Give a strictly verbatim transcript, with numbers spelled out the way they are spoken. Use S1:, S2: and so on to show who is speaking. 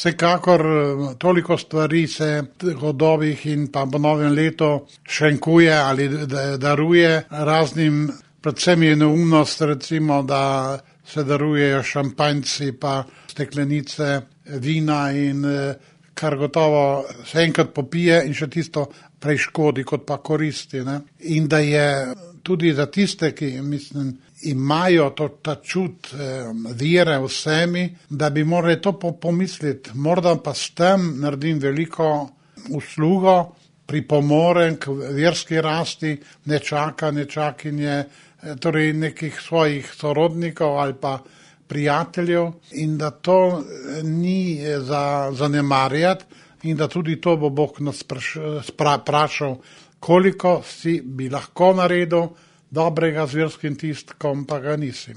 S1: Vsekakor toliko stvari se godovih in pa po novem letu šenkuje ali daruje raznim, predvsem je neumnost recimo, da se darujejo šampanjci pa steklenice vina in kar gotovo se enkrat popije in še tisto prej škodi, kot pa koristi. Ne? In da je tudi za tiste, ki mislim, imajo to, ta čut eh, vere v sebi, da bi morali to pomisliti, morda pa s tem naredim veliko uslugo, pripomorem k verski rasti nečaka, nečakinje, eh, torej nekih svojih sorodnikov ali pa prijateljev in da to ni za zanemarjati in da tudi to bo Bog nas sprašal, koliko si bi lahko naredil dobrega z verskim tistkom, pa ga nisi.